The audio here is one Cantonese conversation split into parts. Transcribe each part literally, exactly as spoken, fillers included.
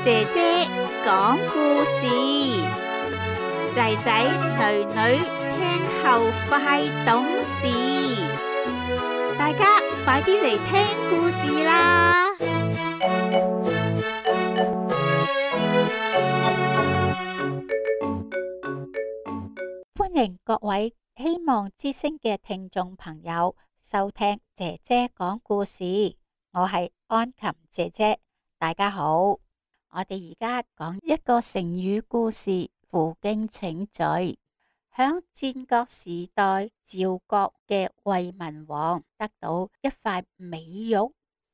姐姐講故事，仔仔女女聽後快懂事，大家快啲嚟聽故事啦！歡迎各位希望之聲嘅聽眾朋友收聽姐姐講故事，我係安琴姐姐，大家好。我哋而家講一個成語故事，負荊請罪。響戰國時代，趙國嘅衛文王得到一塊美玉，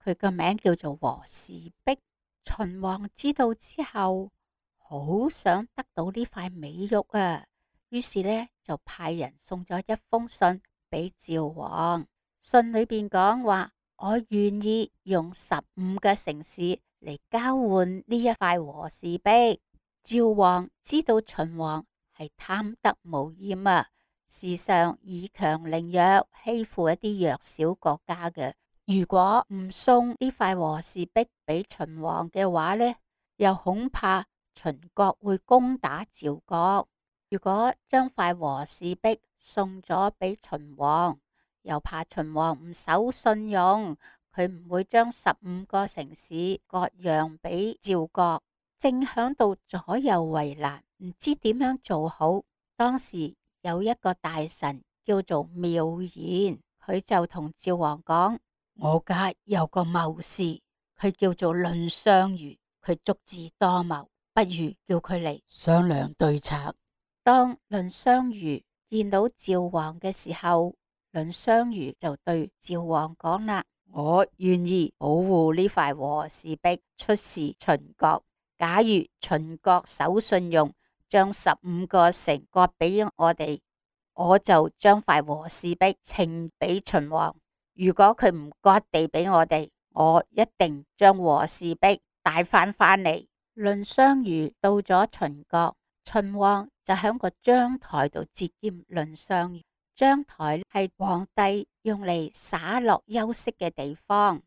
佢個名叫做和氏璧。秦王知道之後，好想得到呢塊美玉啊，於是呢就派人送咗一封信俾趙王。信裏邊講話，我願意用十五個城市嚟交換呢一塊和氏璧。趙王知道秦王係貪得無厭啊，時常以強凌弱，欺負一啲弱小國家嘅。如果唔送呢塊和氏璧俾秦王嘅話呢，又恐怕秦國會攻打趙國。如果將塊和氏璧送咗俾秦王，又怕秦王唔守信用，佢唔會將十五個城市割讓俾趙國，正響度左右為難，唔知點樣做好。當時有一個大臣叫做妙言，佢就同趙王講：我家有個謀士，佢叫做藺相如，佢足智多謀，不如叫佢嚟商量對策。當藺相如見到趙王嘅時候，藺相如就對趙王講啦：我願意保護呢塊和氏璧出使秦國，假如秦國守信用，將十五個城割俾我哋，我就將塊和氏璧呈俾秦王。如果佢唔割地俾我哋，我一定將和氏璧帶翻翻嚟。藺相如到咗秦國，秦王就喺個章台度接見藺相如。章台係皇帝用嚟灑落休息嘅地方，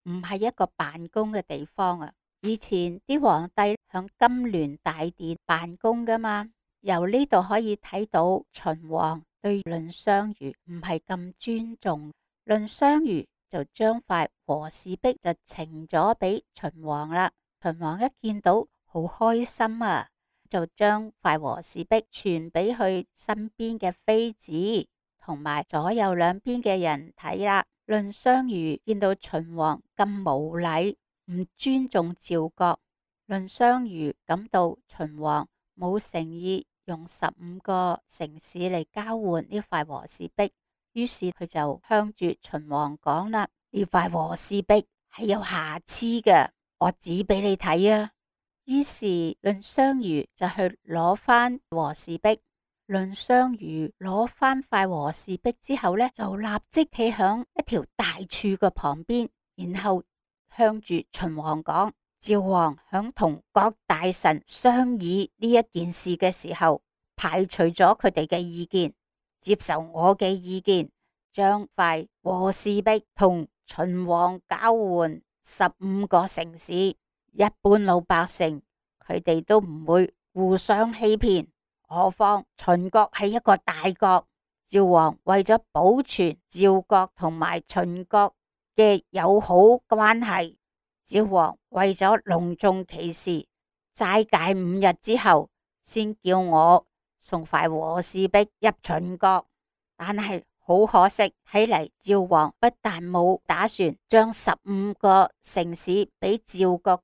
唔係一個辦公嘅地方啊！以前啲皇帝響金鑾大殿辦公噶嘛，由呢度可以睇到秦王對藺相如唔係咁尊重。藺相如就將塊和氏璧就呈咗俾秦王啦。秦王一見到好開心啊，就將塊和氏璧傳俾佢身邊嘅妃子同埋左右兩邊嘅人睇啦。藺相如見到秦王咁無禮，唔尊重趙國，藺相如感到秦王冇誠意，用十五個城市嚟交換呢塊和氏璧，於是佢就向住秦王講啦：呢塊和氏璧係有瑕疵嘅，我指俾你睇啊！於是藺相如就去攞翻和氏璧。藺相如攞翻塊和氏璧之後呢，就立即企響一條大柱嘅旁邊，然後向住秦王講：趙王響同各大臣商議呢一件事嘅時候，排除咗佢哋嘅意見，接受我嘅意見，將塊和氏璧同秦王交換十五個城市。一般老百姓佢哋都唔會互相欺騙，何況秦國係一個大國。趙王為咗保存趙國同埋秦國嘅友好關係，趙王為咗隆重其事，齋戒五日之後，先叫我送塊和氏璧入秦國。但係好可惜，睇嚟趙王不但冇打算將十五個城市俾趙國，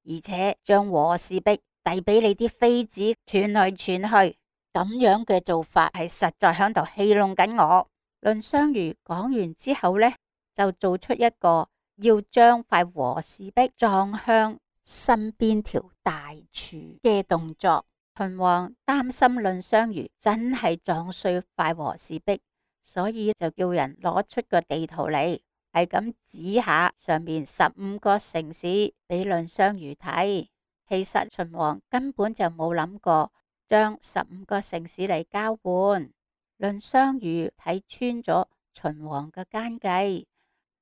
而且將和氏璧遞俾你啲妃子傳來傳去，咁樣嘅做法係實在響度戲弄緊我。藺相如講完之後呢，就做出一個要將塊和氏璧撞向身邊條大柱嘅動作。秦王擔心藺相如真係撞碎塊和氏璧，所以就叫人攞出個地圖嚟，係咁指下上面十五個城市俾藺相如睇。其實秦王根本就冇諗過將十五個城市嚟交換。藺相如睇穿咗秦王嘅奸計，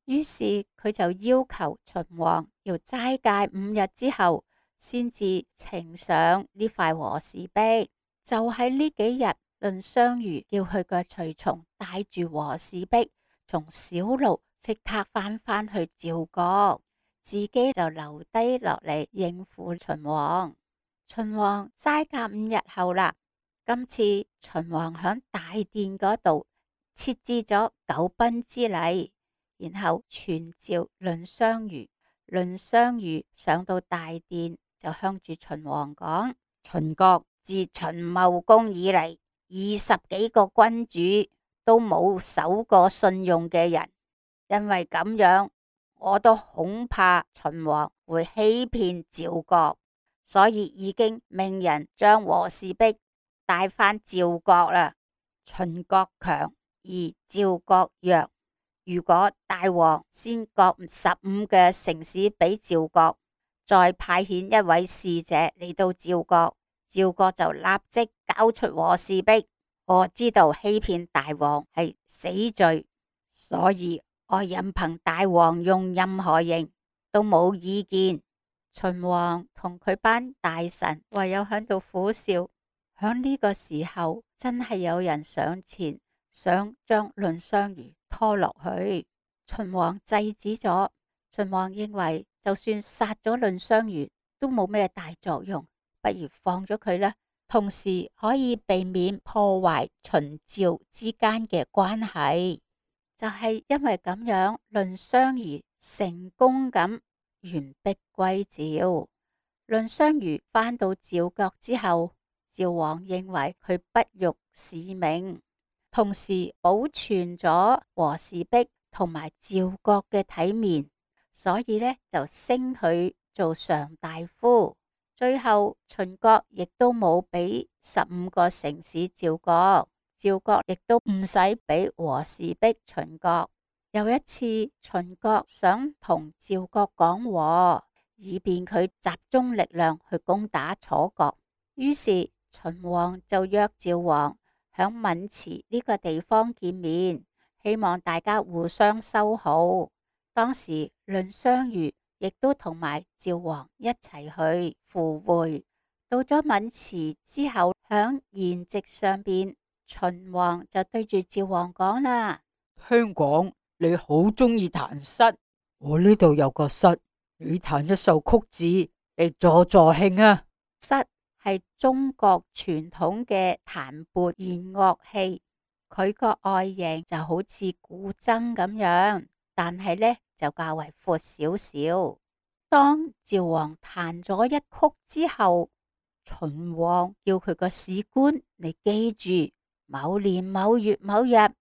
於是佢就要求秦王要齋戒五日之後，先至呈上呢塊和氏璧。就喺呢幾日，藺相如叫佢嘅隨從帶住和氏璧，從小路即刻返返去趙國，自己就留低落嚟應付秦王。秦王齋戒五日後啦，今次秦王響大殿嗰度設置咗九賓之禮，然後傳召藺相如。藺相如上到大殿就向住秦王講：秦國自秦茂公以嚟，二十幾個君主都冇守過信用嘅人，因為咁樣，我都恐怕秦王會欺騙趙國，所以已經命人將和氏璧帶返趙國啦。秦國強而趙國弱，如果大王先割十五嘅城市俾趙國，再派遣一位使者嚟到趙國，趙國就立即交出和氏璧。我知道欺騙大王係死罪，所以我任憑大王用任何刑都冇意見。秦王同佢班大臣唯有喺度苦笑。響呢個時候，真係有人上前想將藺相如拖落去，秦王制止咗。秦王認為就算殺咗藺相如都冇咩大作用，不如放咗佢啦，同時可以避免破壞秦趙之間嘅關係。就係因為咁樣，藺相如成功咁完璧歸趙。藺相如返到趙國之後，趙王認為佢不辱使命，同時保存咗和氏璧同埋趙國嘅體面，所以呢就升佢做上大夫。最後秦國亦都冇俾十五個城市趙國，趙國亦都唔使俾和氏璧秦國。有一次秦國想同趙國講和，以便佢集中力量去攻打楚國，於是秦王就約趙王響澠池呢個地方見面，希望大家互相修好。當時藺相如亦都同埋趙王一齊去赴會。到咗澠池之後，響筵席上邊，秦王就對住趙王講啦：聽講你好中意彈瑟，我呢度有個瑟，你彈一首曲子嚟助助興啊！瑟係中國傳統嘅彈撥弦樂器，佢個外形就好似古箏咁樣，但係呢就較為闊少少。當趙王彈咗一曲之後，秦王叫佢個史官你記住，某年某月某日響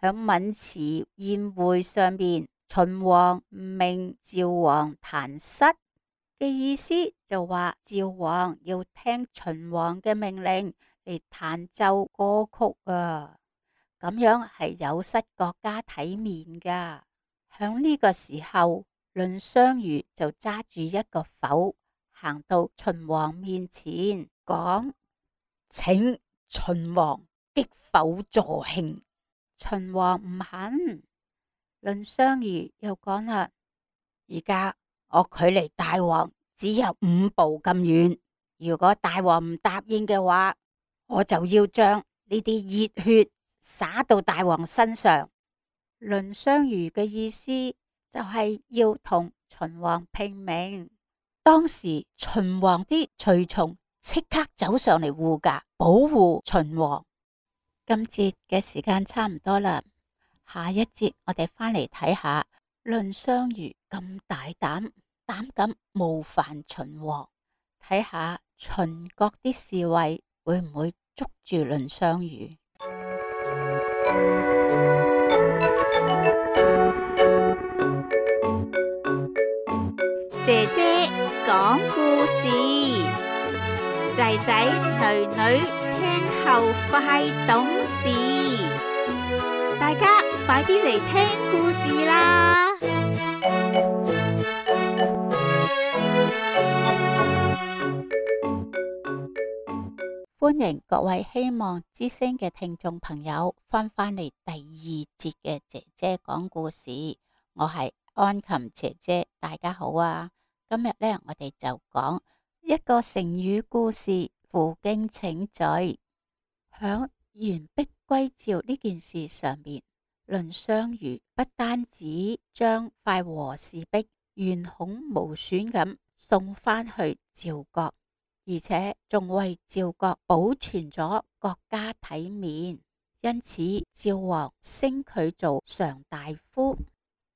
澠池宴會上邊，秦王命趙王彈瑟嘅意思就話趙王要聽秦王嘅命令嚟彈奏歌曲啊，咁樣係有失國家體面噶。響呢個時候，藺相如就揸住一個否，行到秦王面前講：請秦王擊否助興。秦王唔肯。藺相如又講啦：而家我距離大王只有五步咁遠，如果大王唔答應嘅話，我就要將呢啲熱血灑到大王身上。藺相如嘅意思就係要同秦王拼命。當時秦王啲隨從即刻走上嚟護駕，保護秦王。今節嘅時間差唔多啦，下一節我哋返嚟睇下藺相如咁大膽，膽敢冒犯秦王，睇下秦國啲侍衛會唔會捉住藺相如。姐姐講故事，仔仔女女聽後快懂事，大家快啲嚟聽故事啦！歡迎各位希望之聲嘅聽眾朋友翻返嚟第二節嘅姐姐講故事，我係安琴姐姐，大家好啊！今日呢，我哋就講一個成語故事，負荊請罪。響完璧歸趙呢件事上面，藺相如不單止將塊和氏璧完好無損咁送返去趙國，而且仲為趙國保存咗國家體面，因此趙王升佢做上大夫。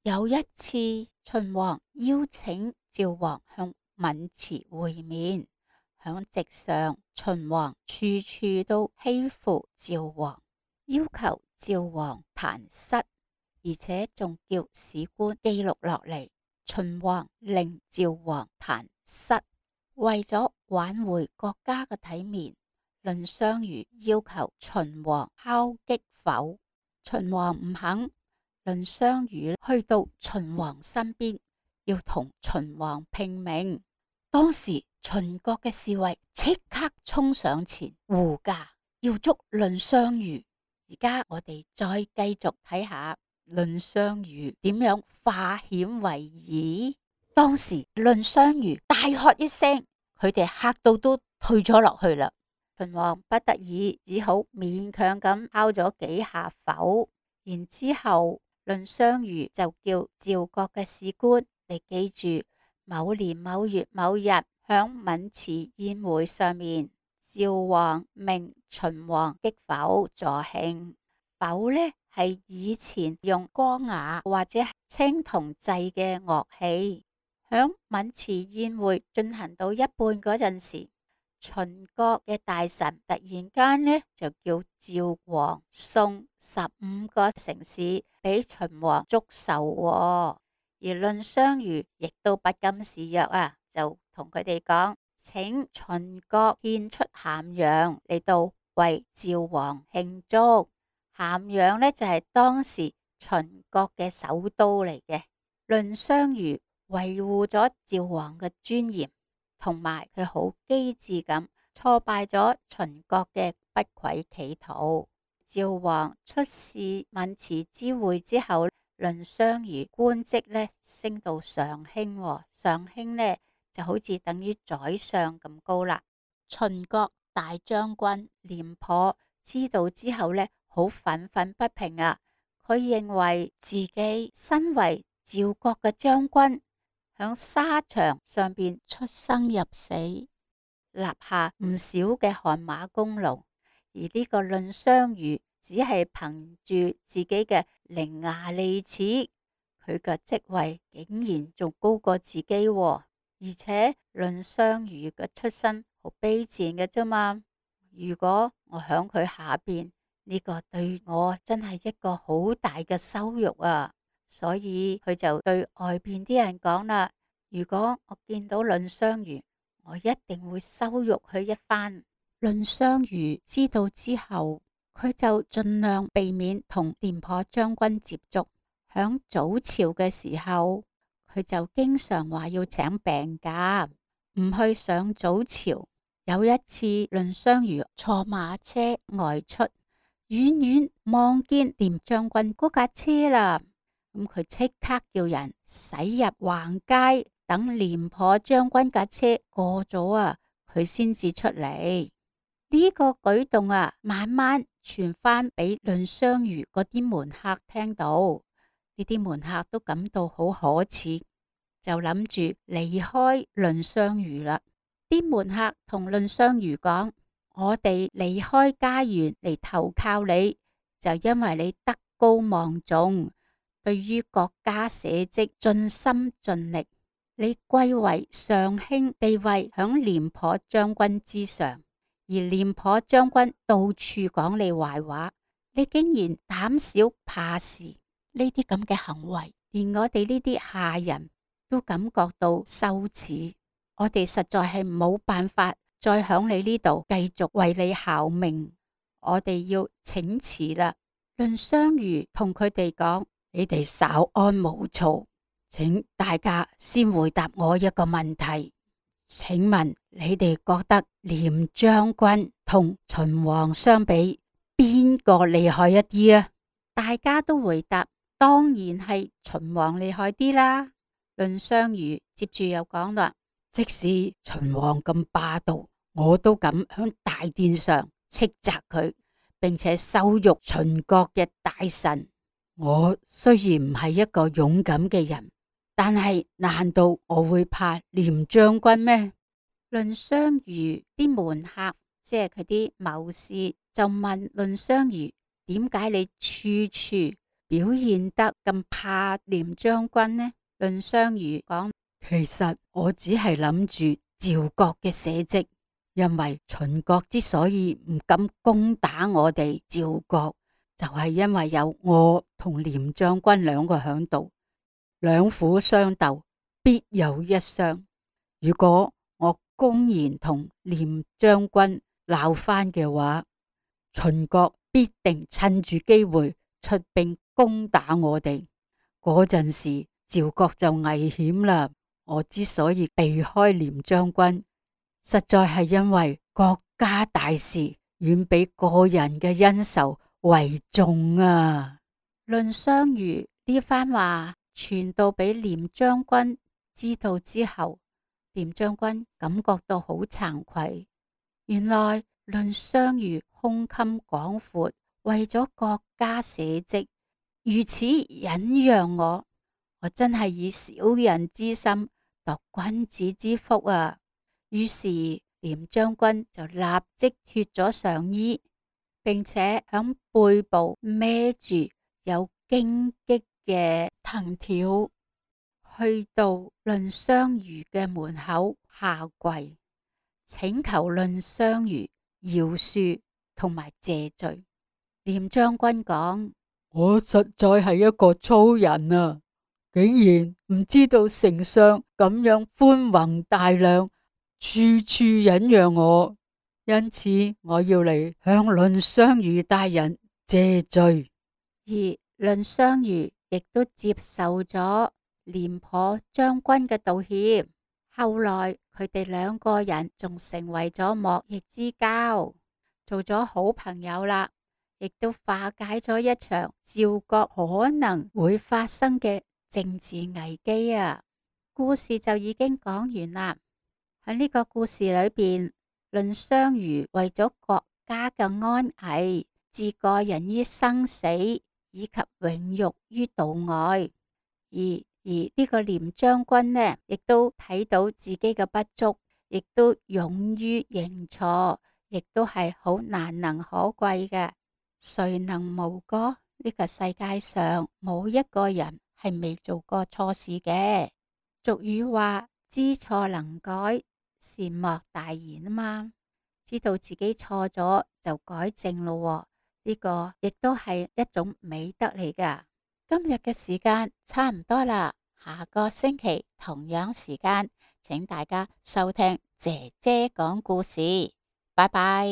有一次，秦王邀請趙王向渑池會面，響席上，秦王處處都欺負趙王，要求趙王彈瑟，而且仲叫史官記錄落嚟。秦王令趙王彈瑟，為咗挽回國家嘅體面，藺相如要求秦王敲擊否，秦王唔肯。藺相如去到秦王身邊，要同秦王拼命。當時秦國嘅侍衛即刻衝上前護駕，要捉藺相如。而家我哋再繼續睇下藺相如點樣化險為夷。當時藺相如大喝一聲，佢哋嚇到都退咗落去啦。秦王不得已只好勉強咁敲咗幾下否，然之後藺相如就叫趙國嘅史官，你記住某年某月某日響渑池宴會上面，趙王命秦王擊否助興。否呢係以前用歌雅或者青銅製嘅樂器。響渑池宴會進行到一半嗰陣時，秦國嘅大臣突然間呢就叫趙王送十五個城市俾秦王祝壽，而藺相如亦都不甘示弱啊，就同佢哋講，請秦國獻出咸陽嚟到為趙王慶祝。咸陽呢就係當時秦國嘅首都嚟嘅。藺相如維護咗趙王嘅尊嚴，同埋佢好機智咁挫敗咗秦國嘅不軌企圖。趙王出使渑池之會之後，藺相如官職呢升到上卿，上卿呢就好似等於宰相咁高啦。秦國大將軍廉頗知道之後呢，好憤憤不平啊！佢認為自己身為趙國嘅將軍，響沙場上邊出生入死，立下唔少嘅汗馬功勞，而呢個藺相如只係憑住自己嘅伶牙俐齒，佢嘅職位竟然仲高過自己，而且藺相如嘅出身好卑賤嘅啫嘛。如果我響佢下邊，呢個對我真係一個好大嘅羞辱啊！所以佢就對外邊啲人講啦，如果我見到藺相如，我一定會羞辱佢一番。藺相如知道之後，佢就盡量避免同廉頗將軍接觸。響早朝嘅時候，佢就經常話要請病假，唔去上早朝。有一次，藺相如坐馬車外出，遠遠望見廉將軍嗰架車啦，咁佢即刻叫人駛入橫街，等廉頗將軍架車過咗啊，佢先至出嚟。呢個舉動啊，慢慢傳翻俾藺相如嗰啲門客聽到，呢啲門客都感到好可恥，就諗住離開藺相如啦。啲門客同藺相如講，我哋離開家園嚟投靠你，就因為你德高望重，對於國家社稷盡心盡力，你貴為上卿，地位響廉頗將軍之上，而廉頗將軍到處講你壞話，你竟然膽小怕事，呢啲咁嘅行為，連我哋呢啲下人都感覺到羞恥。我哋實在係冇辦法再響你呢度繼續為你效命，我哋要請辭啦。藺相如同佢哋講，你哋稍安毋躁，請大家先回答我一個問題。請問你哋覺得廉將軍同秦王相比，邊個厲害一啲啊？大家都回答，當然係秦王厲害啲啦。藺相如接住又講啦，即使秦王咁霸道，我都敢響大殿上斥責佢，並且羞辱秦國嘅大臣。我雖然唔係一個勇敢嘅人，但係難道我會怕廉將軍咩？藺相如啲門客，即係佢啲謀士，就問藺相如，點解你處處表現得咁怕廉將軍呢？藺相如講，其實我只係諗住趙國嘅社稷，因為秦國之所以唔敢攻打我哋趙國，就係因為有我同廉將軍兩個響度，兩虎相鬥，必有一傷。如果我公然同廉將軍鬧翻嘅話，秦國必定趁住機會出兵攻打我哋，嗰陣時趙國就危險啦。我之所以避開廉將軍，實在係因為國家大事遠比個人嘅恩仇為重啊。藺相如呢番話傳到俾廉將軍知道之後，廉將軍感覺到好慚愧。原來藺相如胸襟廣闊，為咗國家社稷如此忍讓我，我真係以小人之心度君子之腹啊！於是廉將軍就立即脫咗上衣，並且響背部孭住有荊棘嘅藤條，去到藺相如嘅門口下跪，請求藺相如饒恕同埋謝罪。廉將軍講，我實在係一個粗人啊，竟然唔知道丞相咁樣寬宏大量，處處忍讓我，因此我要嚟向藺相如大人謝罪。而藺相如亦都接受咗廉頗將軍嘅道歉。後來佢哋兩個人仲成為咗莫逆之交，做咗好朋友啦，亦都化解咗一場趙國可能會發生嘅政治危機啊！故事就已經講完啦。喺呢個故事裏邊，藺相如為咗國家嘅安危，置個人於生死以及榮辱於度外，而而呢個廉將軍呢，亦都睇到自己嘅不足，亦都勇於認錯，亦都係好難能可貴嘅。誰能無過？呢個世界上冇一個人係未做過錯事嘅。俗語話知錯能改，善莫大焉啊嘛。知道自己錯咗就改正咯，呢個亦都係一種美德嚟噶。今日嘅時間差唔多啦，下個星期同樣時間，請大家收聽姐姐講故事，拜拜。